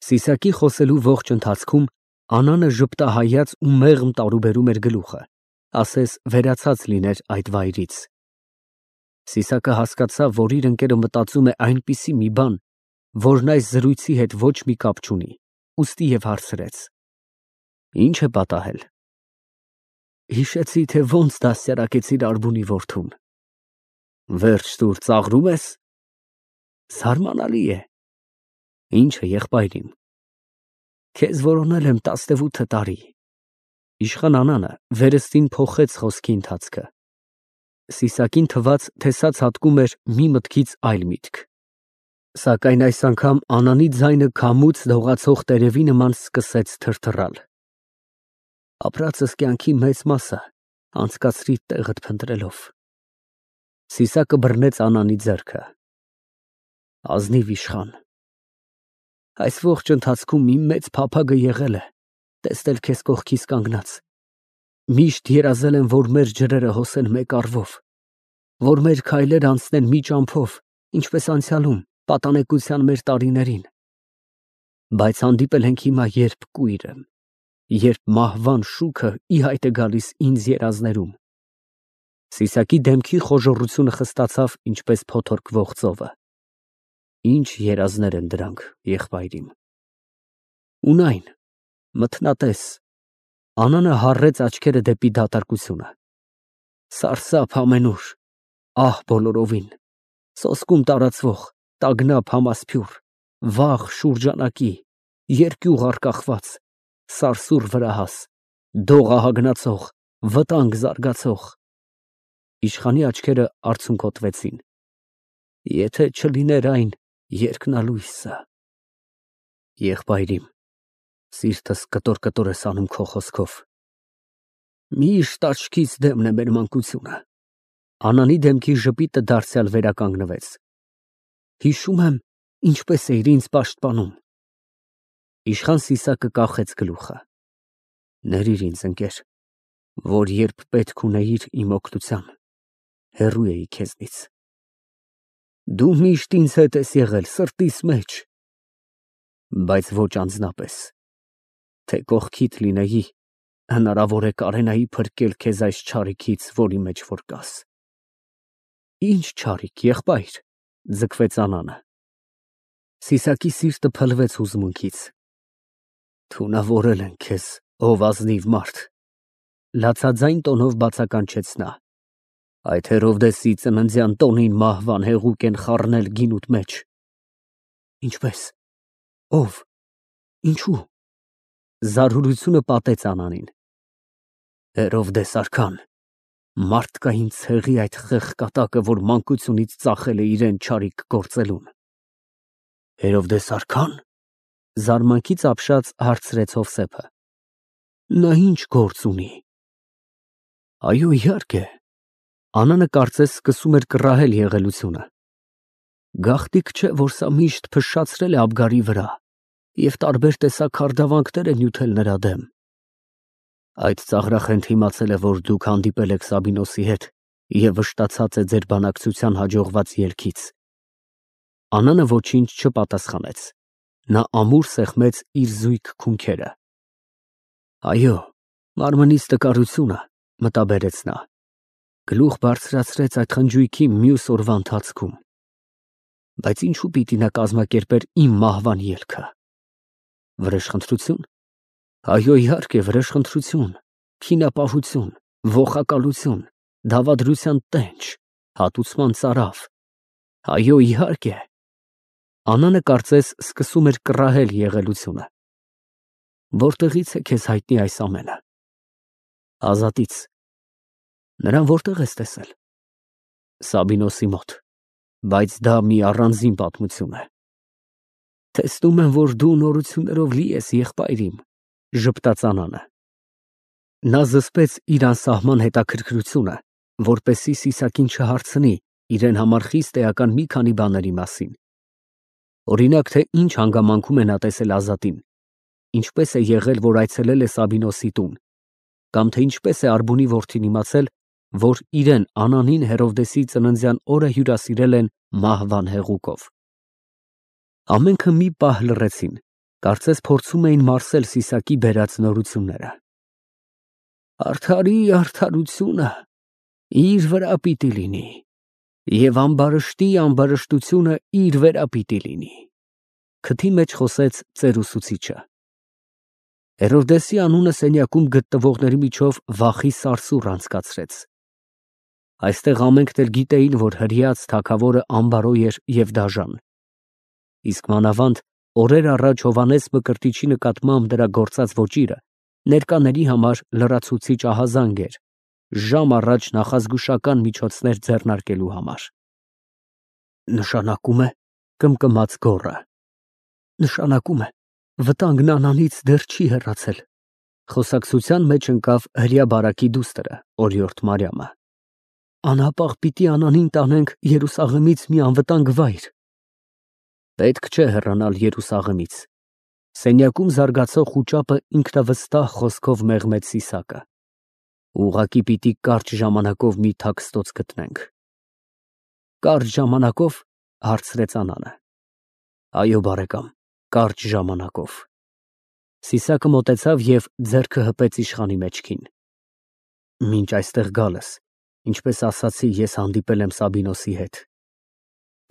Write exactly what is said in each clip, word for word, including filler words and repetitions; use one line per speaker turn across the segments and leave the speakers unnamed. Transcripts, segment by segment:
Սիսակի խոսելու ողջ ընթացքում Անանը ժպտահայաց ու մեղմ տարուբերում էր գլուխը, ասես վերացած լիներ այդ վայրից։ Սիսակը հասկացավ, որ իր ընկերը մտածում է այնպիսի մի բան, որն այս զրույցի հետ ոչ մի կապ չունի, ուստի և հարցրեց. Ի՞նչ է պատահել։ Հիշեցի, թե ոնց դաստիարակեցիր Արբունի որդուն։ Վերջ տուր, ծաղրում ես։ Զարմանալի է։ Ի՞նչը, եղբայրիմ։ Քեզ որոնել եմ տասնևութ տարի։ Իշխան Անանը վերստին փոխեց խոսքի ընթացքը։ Սիսակին թվաց, թե սա ցատկում էր մի մտքից այլ միտք։ Սակայն այս անգամ Անանի ձայնը քամուց դողացող տերևի նման սկսեց թրթռալ։ Ապրածս կյանքի մեծ մասը անցկացրի տեղդ փնտրելով։ Սիսակը բռնեց Անանի ձեռքը։ Ազնիվ իշխան։ Այս ողջ ընթացքում իմ մեծ փափագը եղել է տեսնել քեզ կողքիս կանգնած։ Միշտ երազել եմ, որ մեր ջրերը հոսեն մեկ առվով, որ մեր քայլերը անցնեն մի ճամփով, ինչպես անցյալում, պատանեկության մեր տարիներին։ Բայց հանդիպել ենք հիմա, երբ կույր եմ, երբ մահվան շուքը ի հայտ է գալիս ինձ երազներում։ Սիսակի դեմքի խոժոռությունը խստացավ, ինչպես փոթորկվող ծովը։ Ինչ երազներ են դրանք, եղբայրիմ։ Ունայն, մթնատես։ Անանը հառեց աչքերը դեպի դատարկությունը։ Սարսափ ամենուր, ահ բոլորովին, սոսկում տարածվող, տագնապ համասփյուռ, վաղ շուրջանակի, երկյուղ առկախված, սարսուռ վրահաս, դող ահագնացող, վտանգ զարգացող։ Իշխանի աչքերը արցունքոտվեցին։ Եթե չլիներ այն երկնալույսը։ Եղբայրիմ, սիրտս կտոր-կտոր ես անում քո խոսքով։ Միշտ աչքից դեմն է մեր մանկությունը։ Անանի դեմքի ժպիտը դարձյալ վերականգնվեց։ Հիշում եմ, ինչպես էիր ինձ պաշտպանում։ Իշխան Սիսակը կախեց գլուխը։ Ներիր ինձ, ընկեր, որ երբ պետք ունեիր իմ օգնության, հեռու էի քեզնից։ Դու միշտ ինձ հետ ես եղել սրտիս մեջ, բայց ոչ անձնապես, թե կողքիդ լինեի, հնարավոր է կարենայի փրկել քեզ այս չարիքից, որի մեջ որ կաս։ Ինչ չարիք, եղբայր, ձգվեց Անանը։ Սիսակի սիրտը փլվեց հուզմունքից։ Թունավորել են քեզ, ով ազնիվ մարդ, լացաձայն տոնով բացականչեց նա։ Այդ Հերովդեսի ծննդյան տոնին մահվան հեղուկ են խառնել գինուդ մեջ։ Ինչպես, ով, ինչու։ Զարհուրությունը պատեց Անանին։ Հերովդես արքան, մարդկային ցեղի այդ խեղկատակը, որ մանկությունից ծախել է իրեն չարիք գործելուն։ Հերովդես արքա՞ն։ Զարմանքից ապշած հարցրեց Հովսեփը։ Նա ինչ գործ ունի։ Այո, իհարկե։ Անանը կարծես սկսում էր կռահել եղելությունը։ Գաղտիկ չէ, որ սա միշտ փշշացրել է Աբգարի վրա և տարբեր տեսակ հարդավանքներ է նյութել նրա դեմ։ Այդ ծաղրախենթ իմացել է, որ դուք հանդիպել եք Սաբինոսի հետ և վշտացած է ձեր բանակցության հաջողված ելքից։ Անանը ոչինչ չպատասխանեց։ Նա ամուր սեղմեց իր զույգ քունքերը։ Այո, մարմնից տկարությունը, մտաբերեց նա, գլուխ բարձրացրեց այդ խնջույքի մյուս օրվա ընթացքում։ Բայց ինչու պիտի նա կազմակերպեր իմ մահվան ելքը։ Վրեժխնդրություն։ Այո, իհարկե, վրեժխնդրություն, քինապահություն, ոխակալություն, դավադրության տենչ, հատուցման ծարավ։ Այո, իհարկե։ Անանը կարծես սկսում էր կռահել եղելությունը։ Որտեղից է քեզ հայտնի այս ամենը։ Ազատից։ Նրան որտեղ ես տեսել։ Սաբինոսի մոտ, բայց դա մի առանձին պատմություն է։ Տեսնում եմ, որ դու նորություններով լի ես, եղբայրիմ, ժպտաց Անանը։ Նա զսպեց իր անսահման հետաքրքրությունը, որպեսզի Սիսակին չհարցնի իրեն համար խիստ էական մի քանի բաների մասին։ Օրինակ, թե ինչ հանգամանքում է նա տեսել Ազատին, ինչպես է եղել, որ այցելել է Սաբինոսի տուն, կամ թե ինչպես է Արբունի որդին իմացել, որ իրեն Անանին Հերովդեսի ծննդյան օրը հյուրասիրել են մահվան հեղուկով։ Ամենքը մի պահ լռեցին, Կարծես փորձում էին մարսել Սիսակի բերած նորությունները։ Արդարի արդարությունը իր վրա պիտի լինի, և ամբարշտի ամբարշտությունը իր վրա պիտի լինի, քթի մեջ խոսեց ծերուսուցիչը։ Հերովդեսի անունը սենյակում գտնվողների միջով վախի սարսուռ անցկացրեց։ Այստեղ ամենքն էլ գիտեին, որ հրեած թագավորը անբարոյ էր և դաժան։ Իսկ մանավանդ օրեր առաջ Հովհաննես Մկրտիչի նկատմամբ դրա գործած ոճիրը ներկաների համար լրացուցիչ ահազանգ էր, ժամ առաջ նախազգուշական միջոցներ ձեռնարկելու համար։ Նշանակում է, կմկմաց գոռը, նշանակում է, վտանգն Անանից դեռ չի հեռացել։ Խոսակցության մեջ ընկավ հրեա բարակի դուստրը, օրիորդ Մարիամը։ Անհապաղ պիտի Անանին տանենք Երուսաղեմից մի անվտանգ վայր։ Պետք չէ հեռանալ Երուսաղեմից։ Սենյակում զարգացող խուճապը ինքնավստահ խոսքով մեղմեց Սիսակը։ Ուղղակի պիտի կարճ ժամանակով մի թաքստոց գտնենք։ Կարճ ժամանակով, հարցրեց Անանը։ Այո, բարեկամ, կարճ ժամանակով։ Սիսակը մոտեցավ և ձեռքը հպեց իշխանի մեջքին։ Մինչ այստեղ գալս, ինչպես ասացի, ես հանդիպել եմ Սաբինոսի հետ։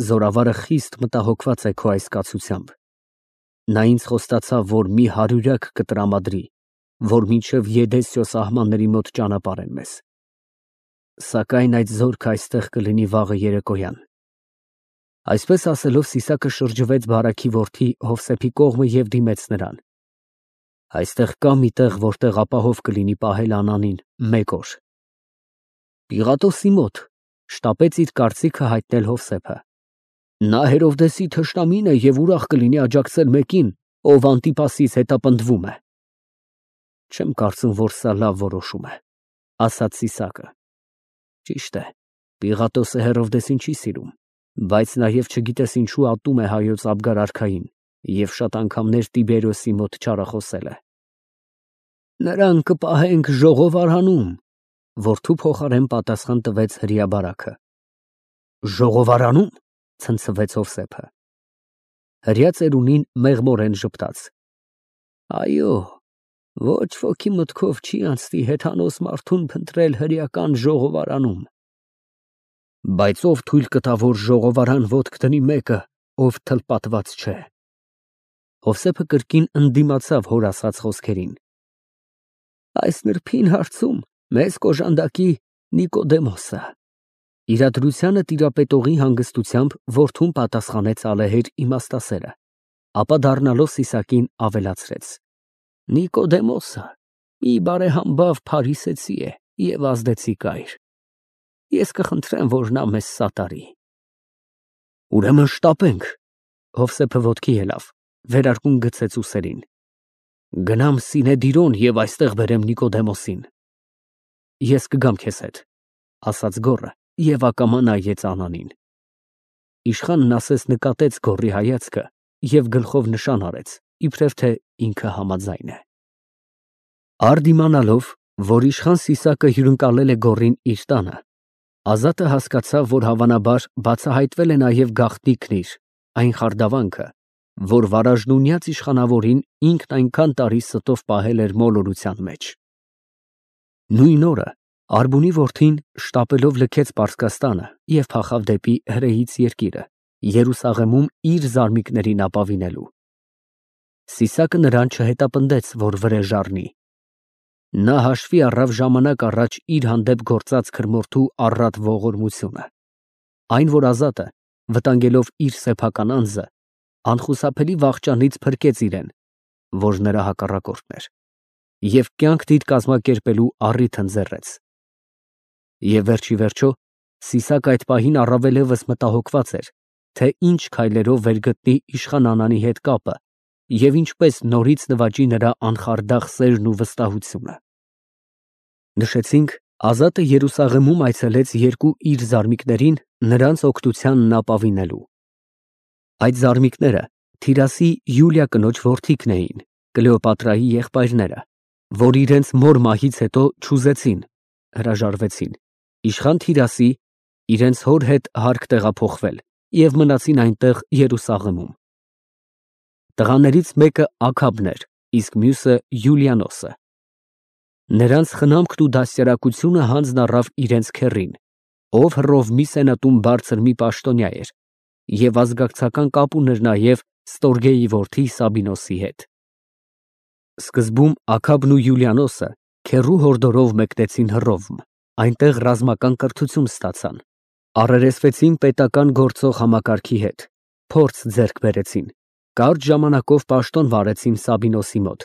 Զորավարը խիստ մտահոգված է քո այս կացությամբ։ Նա ինձ խոստացավ, որ մի հարյուրյակ կտրամադրի, որ մինչև Եդեսիո սահմանների մոտ ճանապարհեն մեզ։ Սակայն այդ զորքը այստեղ կլինի վաղը երեկոյան։ Այսպես ասելով Սիսակը շրջվեց բարաքի որդի Հովսեփի կողմը և դիմեց նրան։ Այստեղ կա մի տեղ, որտեղ ապահով կլինի պահել Անանին մեկ օր։ Պիղատոսի մոտ, շտապեց իր կարծիքը հայտնել Հովսեփը։ Նա Հերովդեսի թշնամին է և ուրախ կլինի աջակցել մեկին, ով Անտիպասից հետապնդվում է։ Չեմ կարծում, որ սա լավ որոշում է, ասաց Սիսակը։ Ճիշտ է, Պիղատոսը Հերովդեսին չի սիրում, բայց նաև չգիտես ինչու ատում է հայոց Աբգար արքային և շատ անգամներ Տիբերիոսի մոտ չարախոսել է։ Նրան կպահենք ժողովարանում, որդու փոխարեն պատասխան տվեց հրեա բարաքը։ Ժողովարանում, ցնցվեց Հովսեփը։ Հրեա ծերունին մեղմորեն ժպտաց։ Այո, ոչ ոքի մտքով չի անցնի հեթանոս մարդուն փնտրել հրեական ժողովարանում։ Բայց ով թույլ կտա, որ ժողովարան ոտք դնի մեկը, ով թլպատված չէ։ Հովսեփը կրկին ընդդիմացավ հոր ասած խոսքերին։ Այս նրբին հարցում մեզ կոժանդակի Նիկոդեմոսը։ Իրադրությանը տիրապետողի հանգստությամբ որդուն պատասխանեց ալեհեր իմաստասերը, ապա դառնալով Սիսակին ավելացրեց. Նիկոդեմոսը մի բարեհամբավ փարիսեցի է և ազդեցիկ այր։ Ես կխնդրեմ, որ նա մեզ սատարի։ Ուրեմն շտապենք։ Հովսեփը ոտքի ելավ, վերարկուն գցեց ուսերին։ Գնամ Սինեդիրոն և այստեղ բերեմ Նիկոդեմոսին։ Ես կգամ քեզ հետ, ասաց գոռը և ակամա նայեց Անանին։ Իշխանն ասես նկատեց գոռի հայացքը և գլխով նշան արեց, իբրև թե ինքը համաձայն է։ Արդ իմանալով, որ իշխան Սիսակը հյուրընկալել է գոռին իր տանը, Ազատը հասկացավ, որ հավանաբար բացահայտվել է նաև գաղտնիքն իր, այն խարդավանքը, որ վարաժնունյաց իշխանավորին ինքն այնքան տարի ստով պահել էր մոլորության մեջ։ Նույն օրը Արբունի որդին շտապելով լքեց Պարսկաստանը և փախավ դեպի հրեից երկիրը, Երուսաղեմում իր զարմիկներին ապավինելու։ Սիսակը նրան չհետապնդեց, որ վրեժ առնի։ Նա հաշվի առավ ժամանակ առաջ իր հանդեպ գործած քրմորդու առատ ողորմությունը։ Այն, որ Ազատը, վտանգելով իր սեփական անձը, անխուսափելի վախճանից փրկեց իրեն, որ նրա հակառակորդն էր, և կյանք դիր կազմակերպելու առիթ ընձեռեց։ Եվ վերջի վերջո Սիսակը այդ պահին առավելևս մտահոգված էր, թե ինչ քայլերով վերգտնի իշխան Անանի հետ կապը և ինչպես նորից նվաճի նրա անխարդախ սերն ու վստահությունը։ Նշեցինք, Ազատը Երուսաղեմում այցելեց երկու իր զարմիկներին նրանց օգնությանն ապավինելու։ Այդ զարմիկները Թիրասի Յուլիա կնոջ որդիքն էին, Կլեոպատրայի եղբայրները, որ իրենց մոր մահից հետո չուզեցին, հրաժարվեցին, իշխան Թիրասի իրենց հոր հետ հարկ տեղափոխվել և մնացին այնտեղ Երուսաղեմում։ Տղաներից մեկը Աքաբն էր, իսկ մյուսը Յուլիանոսը։ Նրանց խնամքն ու դաստիարակությունը հանձն առավ իրենց քեռին, ով Հռովմի սենատում բարձր մի պաշտոնյա էր, և ազգակցական կապ ուներ նաև Ստորգեի որդի Սաբինոսի հետ։ Սկզբում Աքաբն ու Յուլիանոսը քեռու հորդորով մեկնեցին Հռովմ, այնտեղ ռազմական կրթություն ստացան, առերեսվեցին պետական գործող համակարգի հետ, փորձ ձեռք բերեցին, կարճ ժամանակով պաշտոն վարեցին Սաբինոսի մոտ,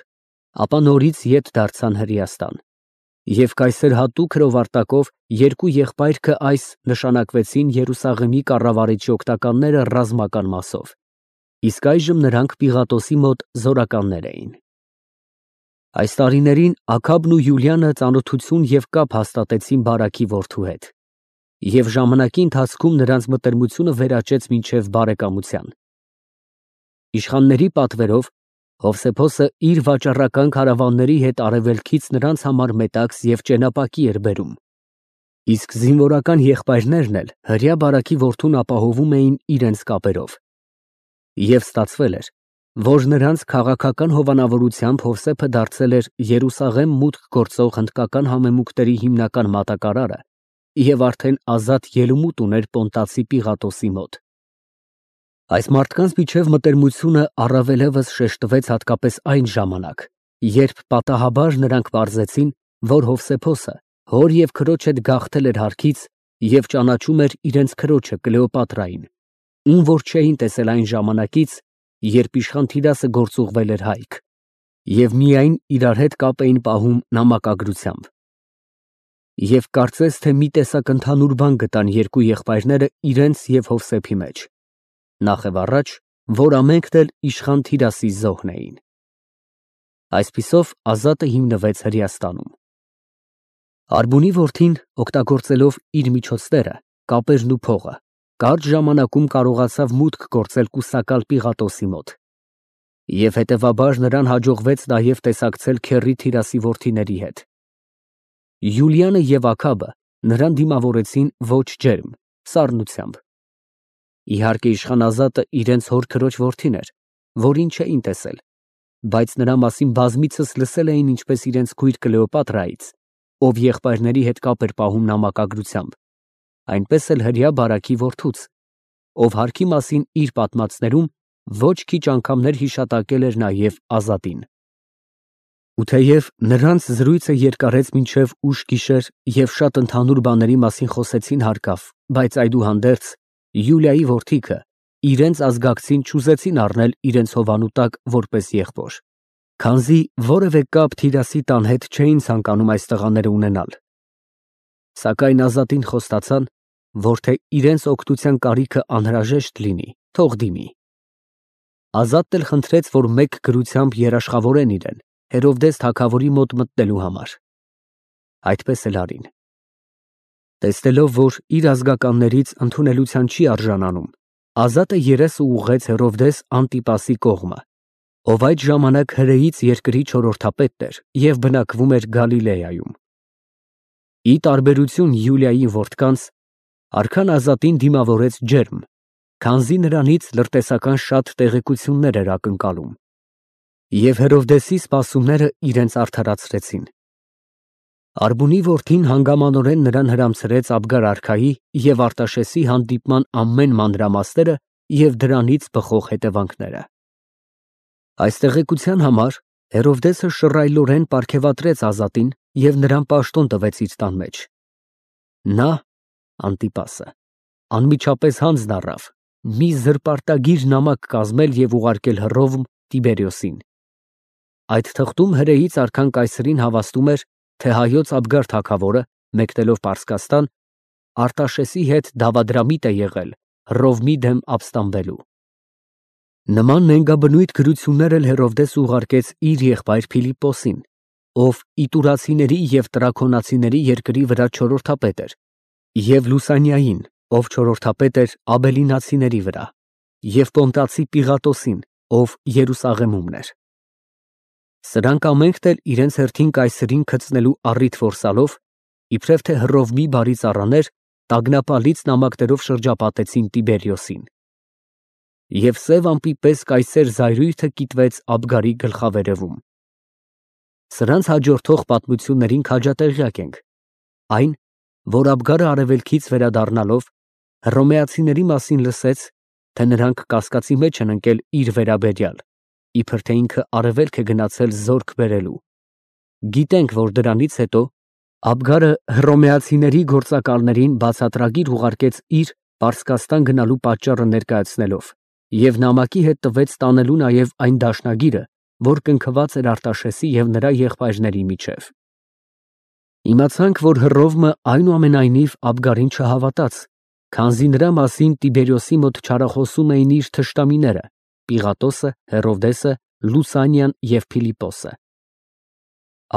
ապա նորից ետ դարձան Հրեաստան, և կայսեր հատուկ հրովարտակով երկու եղբայրքը այս նշանակվեցին Երուսաղեմի կառավարիչի օգնականները ռազմական մասով, իսկ այժմ նրանք Պիղատոսի մոտ զորականներ էին։ Այս տարիներին Աքաբն ու Յուլիանը ծանոթություն և կապ հաստատեցին Բարաքի որդու հետ, և ժամանակի ընթացքում նրանց մտերմությունը վերաճեց մինչև բարեկամության։ Իշխանների պատվերով Հովսեփոսը իր վաճառական քարավանների հետ արևելքից նրանց համար մետաքս և ճենապակի էր բերում, իսկ զինվորական եղբայրներն էլ հրեա Բարաքի որդուն ապահովում էին իրենց կապերով։ Եվ ստացվել էր, որ նրանց քաղաքական հովանավորությամբ Հովսեփը դարձել էր Երուսաղեմ մուտք գործող հնդկական համեմունքների հիմնական մատակարարը և արդեն ազատ ելումուտ ուներ Պոնտացի Պիղատոսի մոտ։ Այս մարդկանց միջև մտերմությունը առավելևս շեշտվեց հատկապես այն ժամանակ, երբ պատահաբար նրանք պարզեցին, որ Հովսեփոսը հոր և քրոջ հետ գաղթել էր հարքից և ճանաչում էր իրենց քրոջը Կլեոպատրային, ում որ չէին տեսել այն ժամանակից, երբ իշխան Թիրասը գործուղվել էր հայք, և միայն իրար հետ կապ էին պահում նամակագրությամբ։ Եվ կարծես թե մի տեսակ ընդհանուր բան գտան երկու եղբայրները իրենց և Հովսեփի մեջ, նախևառաջ, որ ամենքն էլ իշխան Թիրասի զոհն էին։ Այսպիսով Ազատը հիմնվեց Հրեաստանում։ Արբունի որդին, օգտագործելով իր միջոցները, կապերն ու փողը, կարճ ժամանակում կարողացավ մուտք գործել կուսակալ Պիղատոսի մոտ, և հետևաբար նրան հաջողվեց նաև տեսակցել քեռի Թիրասի որդիների հետ։ Յուլիանը և Աքաբը նրան դիմավորեցին ոչ ջերմ, սառնությամբ։ Իհարկե իշխան Ազատը իրենց հոր քրոջ որդին էր, որին չէին տեսել, բայց նրա մասին բազմիցս լսել էին ինչպես իրենց քույր Կլեոպատրայից, ով եղբայրների հետ կապ էր պահում նամակագրությամբ, այնպես էլ հրեա Բարաքի որդուց, ով հարքի մասին իր պատմածներում ոչ քիչ անգամներ հիշատակել էր նաև Ազատին։ Ու թեև նրանց զրույցը երկարեց մինչև ուշ գիշեր և շատ ընդհանուր բաների մասին խոսեցին հարկավ, բայց այդուհանդերձ Յուլիայի որդիքը իրենց ազգակցին չուզեցին առնել իրենց հովանու տակ որպես եղբոր, քանզի որևէ կապ Թիրասի տան հետ չէին ցանկանում այս տղաները ունենալ։ Սակայն Ազատին խոստացան, որ թե իրենց օգնության կարիքը անհրաժեշտ լինի, թող դիմի։ Ազատն էլ խնդրեց, որ մեկ գրությամբ երաշխավորեն իրեն Հերովդես թագավորի մոտ մտնելու համար։ Այդպես էլ արին։ Տեսնելով, որ իր ազգականներից ընդունելության չի արժանանում, Ազատը երեսը ուղղեց Հերովդես Անտիպասի կողմը, ով այդ ժամանակ հրեից երկրի չորրորդապետն էր և բնակվում էր Գալիլեայում։ Ի տարբերություն Յուլիայի որդկանց, արքան Ազատին դիմավորեց ջերմ, քանզի նրանից լրտեսական շատ տեղեկություններ էր ակնկալում, և Հերովդեսի սպասումները իրենց արդարացրեցին։ Արբունի որդին հանգամանորեն նրան հրամցրեց Աբգար արքայի և Արտաշեսի հանդիպման ամեն մանրամասները և դրանից բխող հետևանքները։ Այս տեղեկության համար Հերովդեսը շռայլորեն պարգևատրեց Ազատին և նրան պաշտոն տվեց իր տան մեջ։ Նա (Անտիպասը) անմիջապես հանձն առավ մի զրպարտագիր նամակ կազմել և ուղարկել Հռովմ Տիբերիոսին։ Այդ թղթում հրեից արքան կայսրին հավաստում էր, թե հայոց Աբգար թագավորը, մեկնելով Պարսկաստան, Արտաշեսի հետ դավադրամիտ է եղել Հռովմի դեմ ապստամբելու։ Նման նենգաբնույթ գրություններ էլ Հերովդես ուղարկեց իր եղբայր Փիլիպպոսին, ով Իտուրացիների և Տրաքոնացիների երկրի վրա չորրորդապետ էր, և Լուսանիային, ով չորրորդապետ էր Աբելինացիների վրա, և Պոնտացի Պիղատոսին, ով Երուսաղեմումն էր։ Սրանք ամենքն էլ իրենց հերթին կայսրին գծնելու առիթ որսալով, իբրև թե Հռովմի բարի ծառաներ, տագնապալից նամակներով շրջապատեցին Տիբերիոսին։ Եվ սև ամպի պես կայսեր զայրույթը կիտվեց Աբգարի գլխավերևում։ Սրանց հաջորդող պատմություններին քաջատեղյակ ենք։ Այն, որ Աբգարը արևելքից վերադառնալով հռոմեացիների մասին լսեց, թե նրանք կասկածի մեջ են ընկել իր վերաբերյալ, իբր թե ինքը արևելք է գնացել զորք բերելու։ Գիտենք, որ դրանից հետո Աբգարը հռոմեացիների գործակալներին բացատրագիր ուղարկեց իր Պարսկաստան գնալու պատճառը ներկայացնելով և նամակի հետ տվեց տանելու նաև այն դաշնագիրը, որ կնքված էր Արտաշեսի և նրա եղբայրների միջև։ Իմացանք, որ Հռովմը այնուամենայնիվ Աբգարին չհավատաց, քանզի նրա մասին Տիբերիոսի մոտ չարախոսում էին իր թշնամիները՝ Պիղատոսը, Հերովդեսը, Լուսանիան և Փիլիպոսը։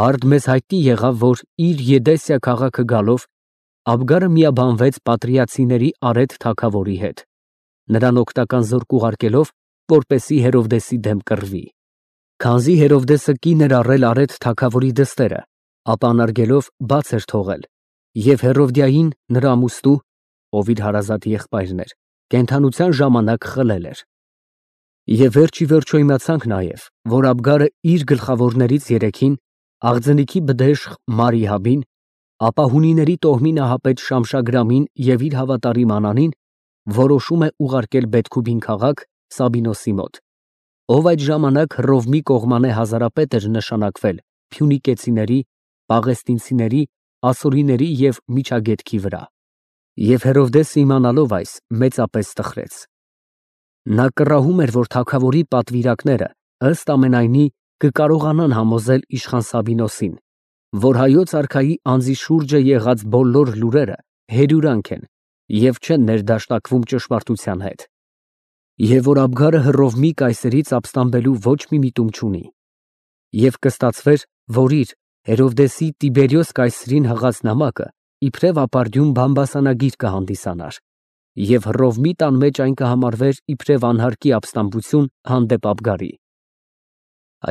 Արդ մեզ հայտնի եղավ, որ իր Եդեսիա քաղաքը գալով Աբգարը միաբանվեց պատրիացիների Արետ թագավորի հետ, նրան օգնական զորք ուղարկելով, որպեսզի Հերովդեսի դեմ կռվի։ Քանզի Հերովդեսը կին էր առել Արետ թագավորի դստերը, ապա անարգելով բաց էր թողել, և Հերովդիային նրա ամուսնու, ով իր հարազատ եղբայրն էր, կենդանության ժամանակ խլել էր։ Եվ վերջ ի վերջո իմացանք նաև, որ Աբգարը իր գլխավորներից երեքին, Աղձնիքի բդեշխ Մարիհաբին, ապա հունիների տոհմի նահապետ Շամշագրամին և իր հավատարիմ Անանին որոշում է ուղարկել Բեթքուբին քաղաք Սաբինոսի մոտ, ով այդ ժամանակ Հռովմի կողմանե հազարապետ էր նշանակվել փյունիկեցիների, պաղեստինցիների, ասորիների և Միջագետքի վրա։ Եվ Հերովդեսը իմանալով այս, մեծապես տխրեց։ Նա կռահում էր, որ թագավորի պատվիրակները ըստ ամենայնի կկարողանան համոզել իշխան Սաբինոսին, որ հայոց արքայի անձի շուրջը եղած բոլոր լուրերը հերյուրանք են և չեն ներդաշնակվում ճշմարտության հետ, և որ Աբգարը Հռովմի կայսերից ապստամբելու ոչ մի միտում չունի, և կստացվեր, որ իր Հերովդեսի Տիբերիոս կայսրին հղած նամակը իբրև ապարդյուն բամբասանագիր կհանդիսանար, և Հռովմի տան մեջ այն կհամարվեր իբրև անհարկի ապստամբություն հանդեպ Աբգարի։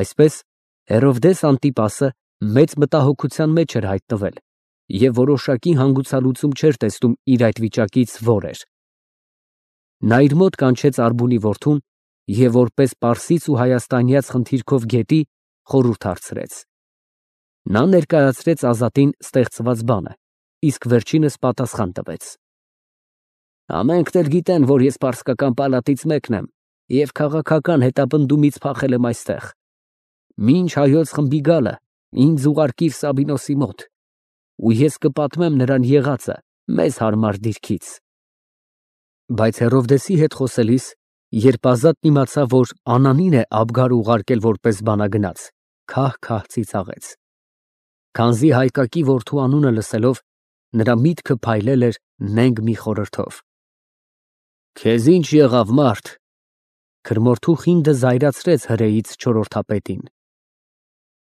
Այսպես Հերովդես Անտիպասը մեծ մտահոգության մեջ էր հայտնվել և որոշակի հանգուցալուծում չէր տեսնում իր այդ վիճակից որ էր։ Նա իր մոտ կանչեց Արբունի որդուն և որպես պարսից ու հայաստանյաց խնդիրքով գետի խորհուրդ հարցրեց։ Նա ներկայացրեց Ազատին ստեղծված բանը, իսկ վերջինս պատասխան տվեց. Ամենքն էլ գիտեն, որ ես պարսկական պալատից մեկն եմ և քաղաքական հետապնդումից փախել եմ այստեղ։ Մինչ հայոց խմբի գալը ինձ ուղարկիր Սաբինոսի մոտ, ու ես կպատմեմ նրան եղածը մեզ հարմար դիրքից։ Բայց Հերովդեսի հետ խոսելիս, երբ Ազատն իմացավ, որ Անանին է Աբգարը ուղարկել որպես բանագնաց, քահ֊քահ ծիծաղեց։ Քանզի Հայկակի որդու անունը լսելով, նրա միտքը փայլել էր նենգ մի խորհրդով։ Քեզ ինչ եղավ, մարդ։ Քրմորթու խինդը զայրացրեց հրեից չորրորդապետին։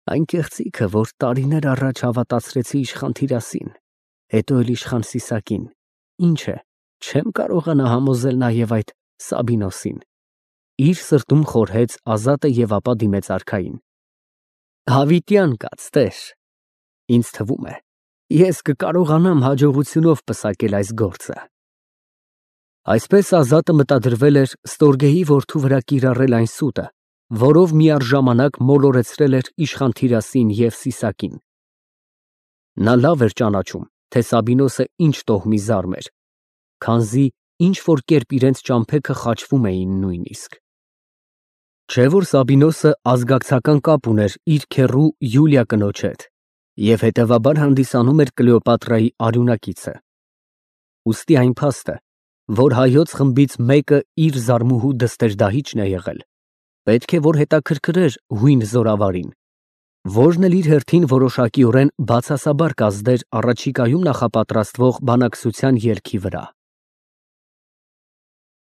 Այն կեղծիքը, որ տարիներ առաջ հավատացրեցի իշխան Թիրասին, հետո էլ իշխան Սիսակին, ինչ է, չեմ կարողանա համոզել նաև այդ Սաբինոսին։ Իր սրտում խորհեց Ազատը և ապա դիմեց արքային։ Հավիտյան կաց, տեր, ինձ թվում է, ես կկարողանամ հաջողությունով պսակել այս գործը։ Այսպես Ազատը մտադրվել էր Ստորգեի որդու վրա կիրառել այն սուտը, որով միառժամանակ մոլորեցրել էր իշխան Թիրասին և Սիսակին։ Նա լավ էր ճանաչում, թե Սաբինոսը ինչ տոհմի զարմ էր, քանզի ինչ որ կերպ իրենց ճամփեքը խաչվում էին նույնիսկ։ Չէ որ Սաբինոսը ազգակցական կապ ուներ իր քեռու Յուլիա կնոջ հետ և հետևաբար հանդիսանում էր Կլեոպատրայի արյունակիցը։ Ուստի այն փաստը, որ հայոց խմբից մեկը իր զարմուհու դստեր֊դահիճն է եղել, պետք է որ հետաքրքրեր հույն զորավարին, որն էլ իր հերթին որոշակիորեն բացասաբար կազդեր առաջիկայում նախապատրաստվող բանակցության ելքի վրա։